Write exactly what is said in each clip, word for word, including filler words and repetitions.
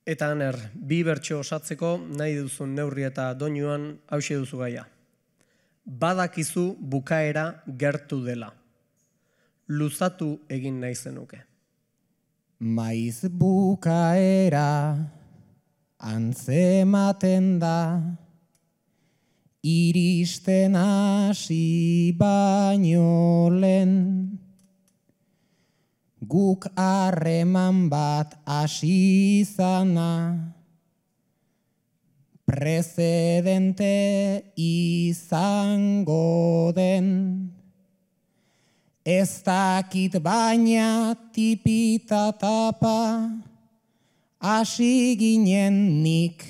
Eta Aner, bi bertso osatzeko nahi duzun neurri eta doinuan hauxe duzu gaia. Badakizu bukaera gertu dela. Luzatu egin nahi zenuke. Maiz bukaera antzematen da, iristen hasi baino lehen, guk harreman bat hasi izana, prezedente izango den. Ez dakit baina tipita tapa, hasi ginen nik,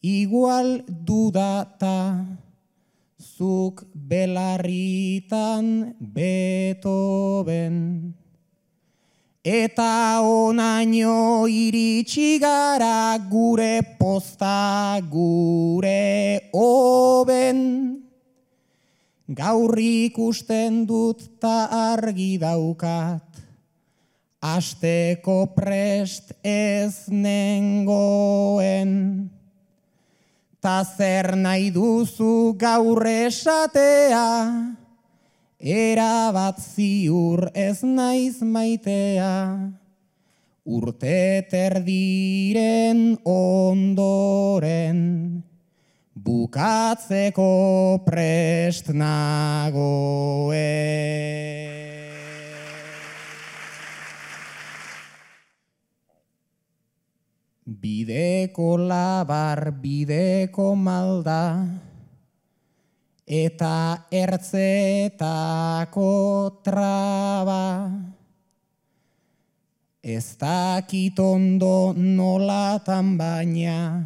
igual dudata, zuk belarritan Beethoven. Eta onaino iritsi gara gure posta gure hoben. Gaur ikusten dut ta argi daukat, asteko prest ez nengoen. Ta zer nahi duzu gaur esatea, erabat ziur ez naiz maitea. Urte terdiren ondoren, bukatzeko prest nagoen. Bideko labar, bideko malda, eta ertzetako traba. Ez dakit ondo nolatan baina,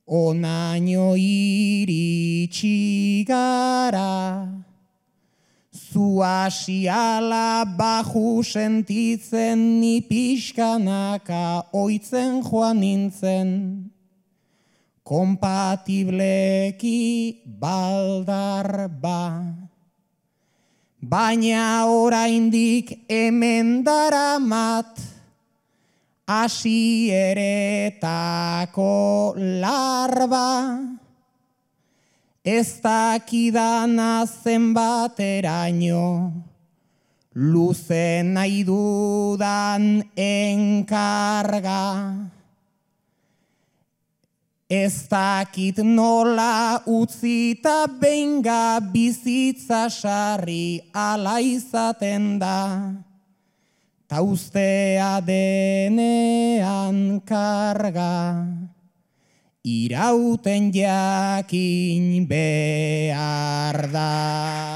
onaino iritsi gara. Zu asiala baju sentitzen ni pixkanaka oitzen joan nintzen. Kompatibleki baldar ba. Baina oraindik hemen daramat, hasieretako larba. Ez dakidana zenbateraino, luze nahi dudan enkarga. Ez dakit nola utzita benga bizitza sarri ala izaten da, ta ustea denean karga. Irauten jakin behar da.